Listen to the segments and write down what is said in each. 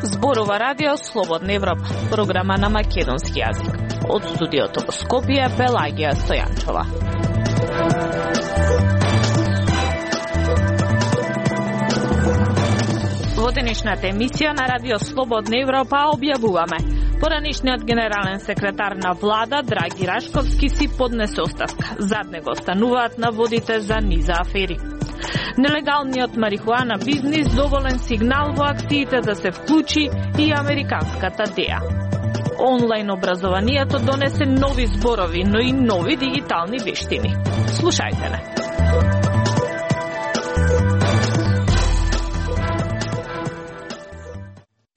Зборува радио Слободна Европа, програма на македонски јазик. Од студиото во Скопје, Пелагија Стојанчова. Во денешната емисија на радио Слободна Европа објавуваме: поранишниот генерален секретар на влада Драги Рашковски си поднесе оставка. Зад него остануваат наводите за низа афери. Нелегалниот марихуана бизнис доволен сигнал во акциите да се вклучи и американската ДЕА. Онлайн образованието донесе нови зборови, но и нови дигитални вештини. Слушајте не.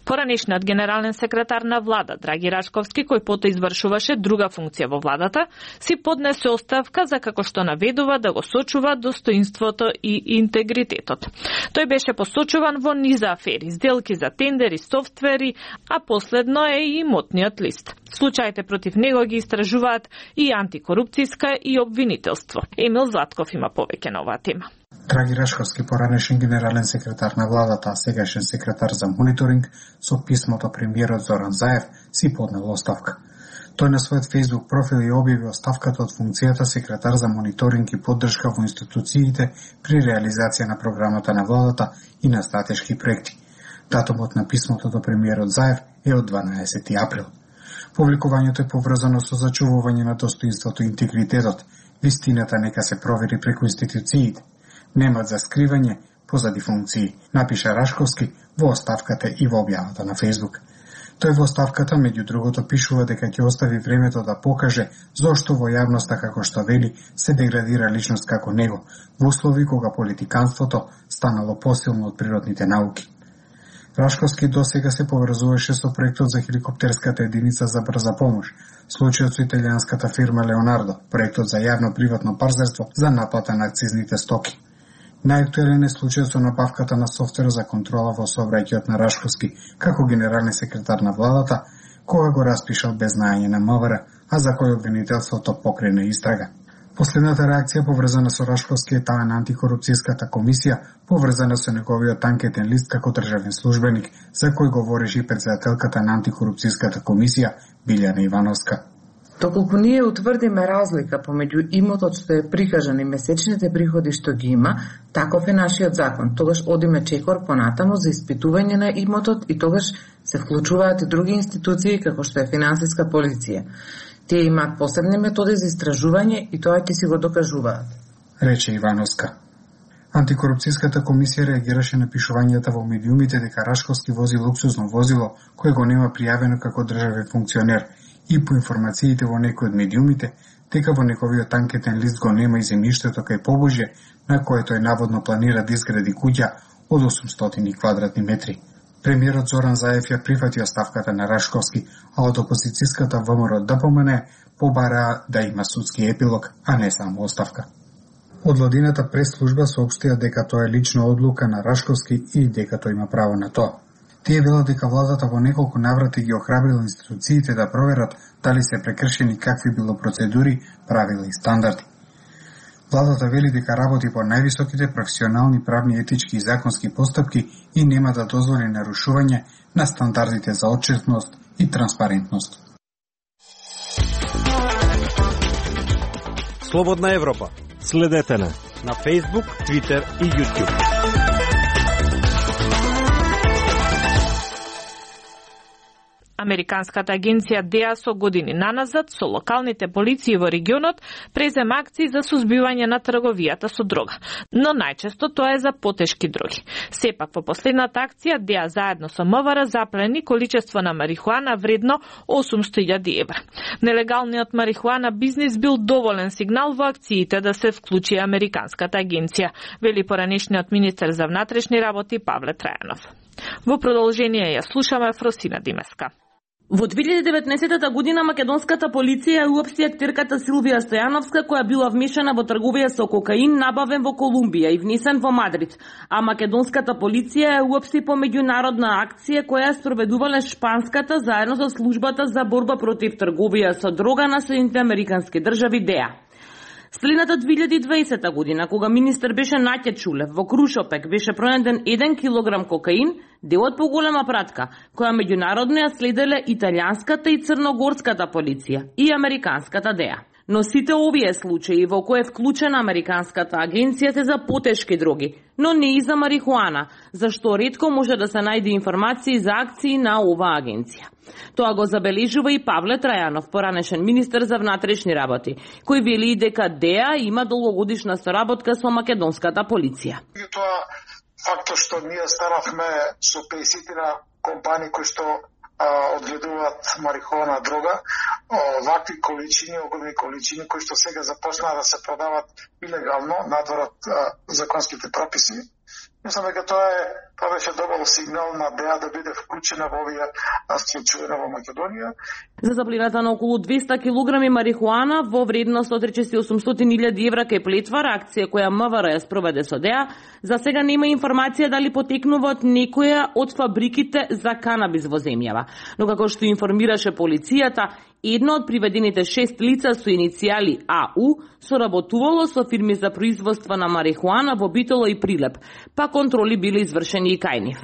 Поранишниот генерален секретар на влада Драги Рашковски, кој потоа извршуваше друга функција во владата, си поднесе оставка за како што наведува да го сочува достоинството и интегритетот. Тој беше посочуван во низа афери, сделки за тендери, софтвери, а последно е и имотниот лист. Случаите против него ги истражуваат и антикорупцијска и обвинителство. Емил Златков има повеќе на оваа тема. Драги Рашковски, поранешен генерален секретар на владата, а сегашен секретар за мониторинг, со писмото премиерот Зоран Заев си поднел оставка. Тој на својот Facebook профил ја објави оставката од функцијата секретар за мониторинг и поддршка во институциите при реализација на програмата на владата и на стратешки проекти. Датумот на писмото до премиерот Заев е од 12 април. Публикувањето е поврзано со зачувување на достоинството и интегритетот. Вистината нека се провери преку институциите. Немат за скривање позади функции, напиша Рашковски во оставката и во објавата на Facebook. Тој во оставката, меѓу другото, пишува дека ќе остави времето да покаже зошто во јавноста, како што вели, се деградира личност како него, во услови кога политиканството станало посилно од природните науки. Рашковски досега се поврзуваше со проектот за хеликоптерската единица за брза помош, случајот со италијанската фирма Леонардо, проектот за јавно-приватно партнерство за наплата на акцизните стоки. Најактуелен е случајот со набавката на софтвер за контрола во сообраќајот на Рашковски како генерален секретар на владата, кога го распишал без знаење на МВР, а за кој обвинителството покрена истрага. Последната реакција поврзана со Рашковски е таа на антикорупцијската комисија, поврзана со неговиот анкетен лист како државен службеник, за кој говореше и претседателката на антикорупцијската комисија Билјана Ивановска. Доколку ние утврдиме разлика помеѓу имотот што е прикажан и месечните приходи што ги има, таков е нашиот закон. Тогаш одиме чекор понатаму за испитување на имотот и тогаш се вклучуваат и други институции како што е финансиска полиција. Тие имаат посебни методи за истражување и тоа ќе си го докажуваат, рече Ивановска. Антикорупцијската комисија реагираше на пишувањата во медиумите дека Рашковски вози луксузно возило кое го нема пријавено како државен функционер и по информациите во некои од медиумите дека во неговиот анкетен лист го нема и земјиштето кај Побожје на кое тој наводно планира да изгради куќа од 800 квадратни метри. Премиерот Зоран Заев ја прифати оставката на Рашковски, а од опозицијската ВМРО ДПМН побараа да има судски епилог, а не само оставка. Од владината прес-служба соопштија дека тоа е лична одлука на Рашковски и дека тој има право на тоа. Тие велат дека владата во неколку наврати ги охрабрила институциите да проверат дали се прекршени какви било процедури, правила и стандарди. Владата вели дека работи по највисоките професионални, правни, етички и законски постапки и нема да дозволи нарушување на стандардите за отчетност и транспарентност. Слободна Европа. Следете на Facebook, Twitter и YouTube. Американската агенција ДЕА со години наназад со локалните полиции во регионот презема акции за сузбивање на трговијата со дрога, но најчесто тоа е за потешки дроги. Сепак во последната акција ДЕА заедно со МВР заплени количество на марихуана вредно 800.000 евра. Нелегалниот марихуана бизнис бил доволен сигнал во акциите да се вклучи Американската агенција, вели поранешниот министер за внатрешни работи Павле Трајанов. Во продолжение ја слушаме Фросина Димеска. Во 2019 година македонската полиција уопшти актерката Силвија Стојановска, која била вмешана во трговија со кокаин набавен во Колумбија и внесен во Мадрид, а македонската полиција уопшти по меѓународна акција која спроведувале шпанската заедно со службата за борба против трговија со дрога на Соединетите Американски држави ДЕА. Следната 2020 година, кога министер беше Наќа Чулев, во Крушопек беше пронајден 1 килограм кокаин, дел од поголема пратка, која меѓународно ја следеле италијанската и црногорската полиција и американската ДЕА. Но сите овие случаи во кои е вклучена американската агенција се за потешки дроги, но не и за марихуана, зашто ретко може да се најде информации за акции на оваа агенција. Тоа го забележува и Павле Трајанов, поранешен министер за внатрешни работи, кој вели дека ДЕА има долгогодишна соработка со македонската полиција. Тоа фактот што ние станавме со 50 компании кои што одгледуваат марихуана дрога, вакви количини, огромни количини кои што сега започнаа да се продават илегално надвор од законските прописи. Мислам дека тоа беше добар сигнал на ДЕА да биде вклучена во овие случаи во Македонија. За заплината на околу 200 килограми марихуана во вредност од речиси 800.000 евра кај Плетвар, акција која МВР ја спроведе со ДЕА, за сега нема информација дали потекнува од некоја од фабриките за канабис во земјава. Но како што информираше полицијата, едно од приведените 6 лица со иницијали АУ соработувало со фирми за производство на марихуана во Битола и Прилеп, па контроли биле извршени и кај нив.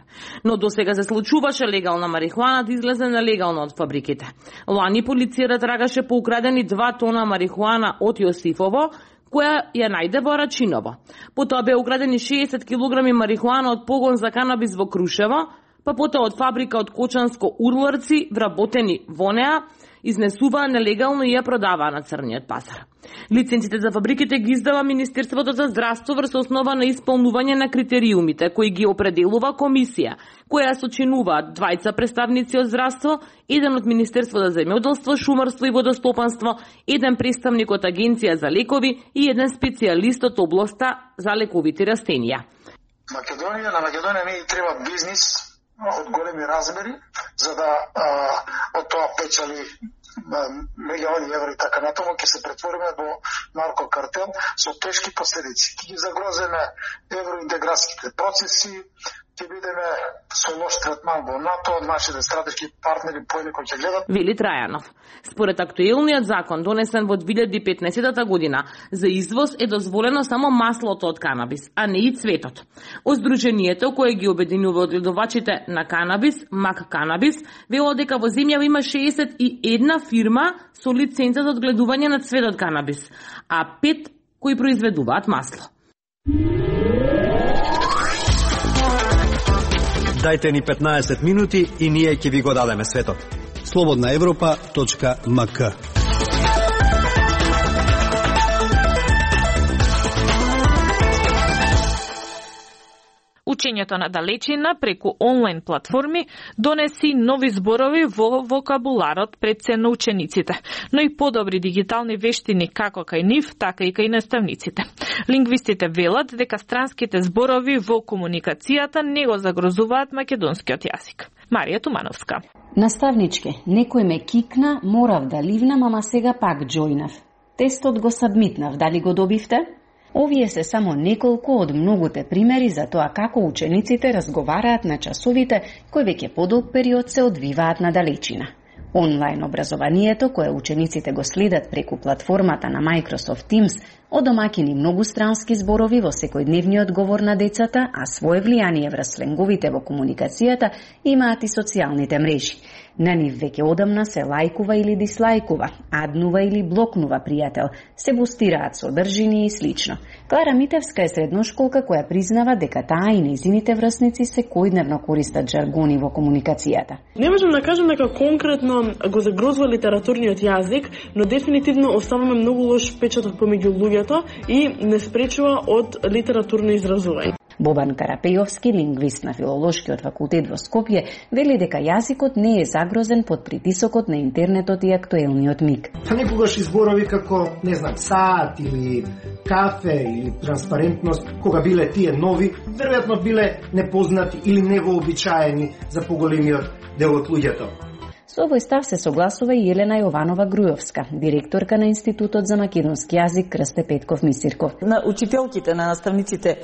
Но досега се случуваше легална марихуана да излезе нелегално од фабриките. Лани полицијата трагаше по украдени 2 тона марихуана од Јосифово, која ја најде во Рачиново. Потоа беа украдени 60 килограми марихуана од погон за канабис во Крушево, па потоа од фабрика од Кочанско урларци вработени во неа, изнесуваа нелегално и ја продаваа на црниот пазар. Лиценците за фабриките ги издава Министерството за здравство врз основа на исполнување на критериумите кои ги определува комисија, која сочинуваат 2 представници од здравство, еден од Министерство за земјоделство, шумарство и водостопанство, еден представник од Агенција за лекови и еден специјалист од областа за лековите растенија. На Македонија не треба бизнис од големи размери, за да од тоа печали милиони евро и така натаму, ќе се претвориме во наркокартел со тешки последици. Ќе ги загрозиме евроинтеграцијските процеси, ќе бидеме со лош третман во НАТО, нашите стратешки партнери поинеко ќе гледат. Вели Трајанов. Според актуелниот закон донесен во 2015 година, за извоз е дозволено само маслото од канабис, а не и цветот.Оздруженијето кое ги обединува одгледувачите на канабис, Мак Канабис, вело дека во земјава има 61 фирма со лиценца за одгледување на цветот канабис, а 5 кои произведуваат масло. Дајте ни 15 минути и ние ќе ви го дадеме светот. slobodnaevropa.mk. Учењето на далечина преку онлайн платформи донеси нови зборови во вокабуларот пред се на учениците, но и подобри дигитални вештини како кај нив, така и кај наставниците. Лингвистите велат дека странските зборови во комуникацијата не го загрозуваат македонскиот јазик. Марија Тумановска. Наставничке, некој ме кикна, морав да ливнам, ама сега пак џојнав. Тестот го сабмитнав, дали го добивте? Овие се само неколку од многуте примери за тоа како учениците разговараат на часовите кои веќе подолг период се одвиваат на далечина. Онлайн образованието, кое учениците го следат преку платформата на Microsoft Teams, одомакини многустрански зборови во секојдневниот говор на децата, а свое влијание врз сленговите во комуникацијата имаат и социјалните мрежи. На нив веќе одамна се лајкува или дислајкува, аднува или блокнува пријател, се бустираат содржини и слично. Клара Митевска е средношколка која признава дека таа и нејзините врсници секојдневно користат жаргони во комуникацијата. Не можам да кажам дека конкретно го загрозува литературниот јазик, но дефинитивно оставаме многу лош печаток помеѓу луѓето и не спречува од литературно изразување. Бобан Карапејовски, лингвист на Филолошкиот факултет во Скопје, вели дека јазикот не е загрозен под притисокот на интернетот и актуелниот миг. Некогаш изборови како, не знам, саат или кафе или транспарентност, кога биле тие нови, веројатно биле непознати или невообичаени за поголемиот дел од луѓето. Со овој став се согласува и Елена Јованова Грујовска, директорка на Институтот за македонски јазик Крсте Петков Мисирков. На учителките, на наставниците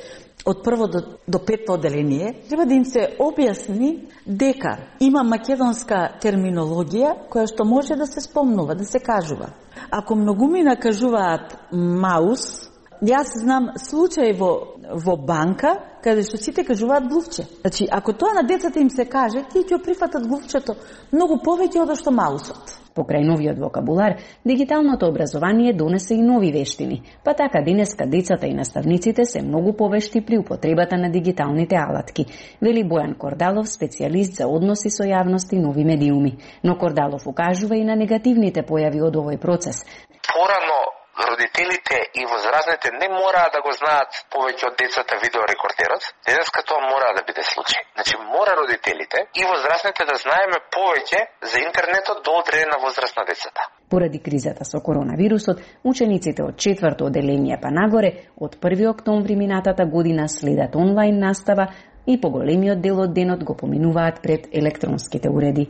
од прво до петто одделение треба да им се објасни дека има македонска терминологија која што може да се спомнува, да се кажува. Ако многумина кажуваат маус, јас знам случај во банка каде што сите кажуваат глувче. Значи, ако тоа на децата им се каже, тие ќе прифатат глувчето многу повеќе од што маусот. Покрај новиот вокабулар, дигиталното образование донесе и нови вештини, па така денеска децата и наставниците се многу повешти при употребата на дигиталните алатки, вели Бојан Кордалов, специјалист за односи со јавност и нови медиуми. Но Кордалов укажува и на негативните појави од овој процес. Порано родителите и возрастните не мораа да го знаат повеќе од децата видеорекордерот. Денеска тоа мора да биде случај. Значи мора родителите и возрастните да знаеме повеќе за интернетот до одредена возраст на децата. Поради кризата со коронавирусот, учениците од 4-то одделение па нагоре од 1 октомври минатата година следат онлайн настава и поголемиот дел од денот го поминуваат пред електронските уреди.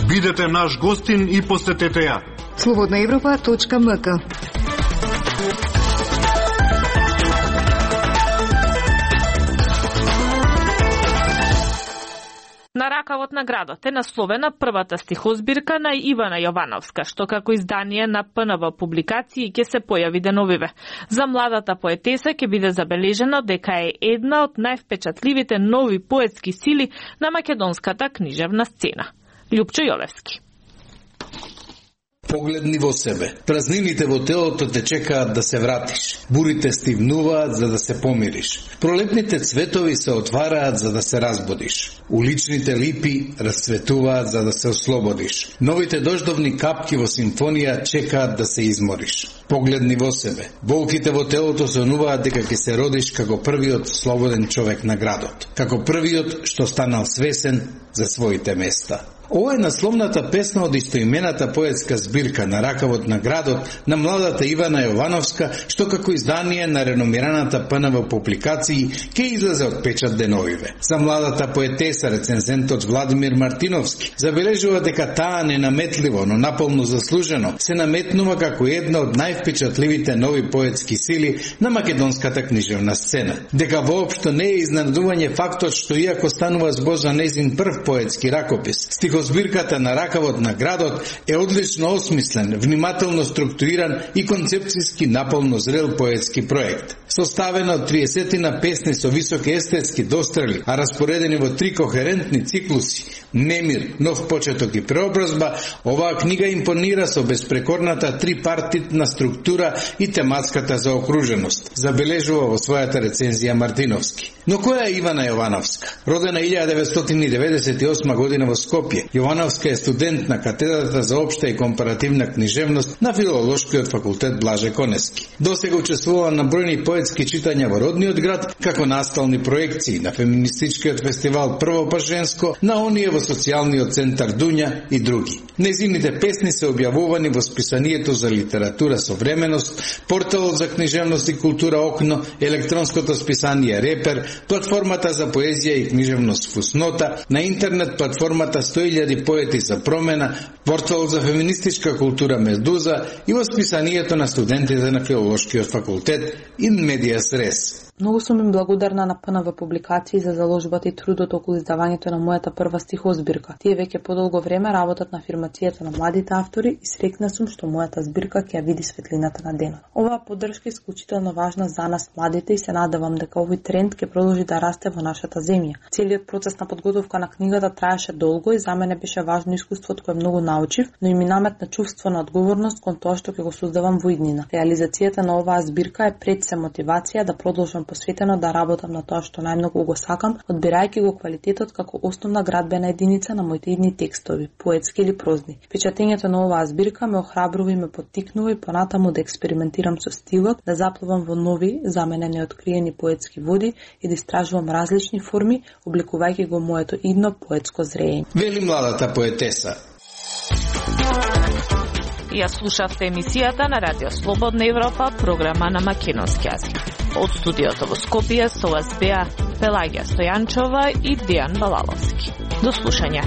Бидете наш гостин и посетете ја. Slobodnaevropa.mk. На ракавот на градот е насловена првата стихозбирка на Ивана Јовановска, што како издание на ПНВ публикации ќе се појави деновиве. За младата поетеса ќе биде забележено дека е една од највпечатливите нови поетски сили на македонската книжевна сцена. Љупчо Јовевски. Погледни во себе. Празнините во телото те чекаат да се вратиш. Бурите стивнуваат за да се помириш. Пролетните цветови се отвараат за да се разбудиш. Уличните липи расцветуваат за да се ослободиш. Новите дождовни капки во симфонија чекаат да се измориш. Погледни во себе. Болките во телото сонуваат дека ќе се родиш како првиот слободен човек на градот. Како првиот што станал свесен за своите места. Ова е насловната песна од истоимената поетска збирка на ракавот на градот на младата Ивана Јовановска, што како издание на реномираната ПНВ публикации ќе излезе од печат деновиве. За младата поетеса рецензентот Владимир Мартиновски забележува дека таа ненаметливо, но наполно заслужено се наметнува како една од највпечатливите нови поетски сили на македонската книжевна сцена. Дека воопшто не е изненадување фактот што иако станува збор за нејзин прв поетски ракопис, стихозбирката на ракавот на градот е одлично осмислен, внимателно структуриран и концепцијски наполно зрел поетски проект. Составена од 30 песни со високи естетски дострели, а распоредени во 3 кохерентни циклуси – Немир, Нов почеток и преобразба, оваа книга импонира со безпрекорната трипартитна структура и тематската заокруженост, забележува во својата рецензија Мартиновски. Но која е Ивана Јовановска? Родена 1998 година во Скопје, Јовановска е студент на катедрата за општа и компаративна книжевност на Филолошкиот факултет Блаже Коневски. Досега учествувала на бројни поетски читања во родниот град, како настални проекции на феминистичкиот фестивал Прво па женско, на оние во социјалниот центар Дуња и други. Незините песни се објавувани во списанието за литература Современост, порталот за книжевност и култура Окно, електронското списание Репер, платформата за поезија и книжевност Фуснота, на интернет платформата 100.000 поети за промена, порталот за феминистичка култура Медуза и во списанието на студентите на Филолошкиот факултет In Medias Res. Многу сум им благодарна на ПНВ публикации за заложбата и трудот околу издавањето на мојата прва стихозбирка. Тие веќе подолго време работат на афирмацијата на младите автори и среќна сум што мојата збирка ќе ја види светлината на денот. Оваа поддршка е исклучително важна за нас младите и се надевам дека овој тренд ќе продолжи да расте во нашата земја. Целиот процес на подготовка на книгата траеше долго и за мене беше важно искуството кое многу научив, но и ми наметна чувство на одговорност кон тоа што ќе го создавам во иднина. Реализацијата на оваа збирка е пред се мотивација да продолжам посветено да работам на тоа што најмногу го сакам, одбирајќи го квалитетот како основна градбена единица на моите идни текстови, поетски или прозни. Печатењето на оваа збирка ме охрабрува и ме поттикнува и понатаму да експериментирам со стилот, да заплувам во нови, за мене неоткриени поетски води и да истражувам различни форми, обликувајќи го моето идно поетско зрење. Вели младата поетеса. Ја слушавте емисијата на Радио Слободна Европа, програма на македонски јазик. Од студиото во Скопје со вас беа Пелагија Стојанчова и Дијан Балаловски. До слушање.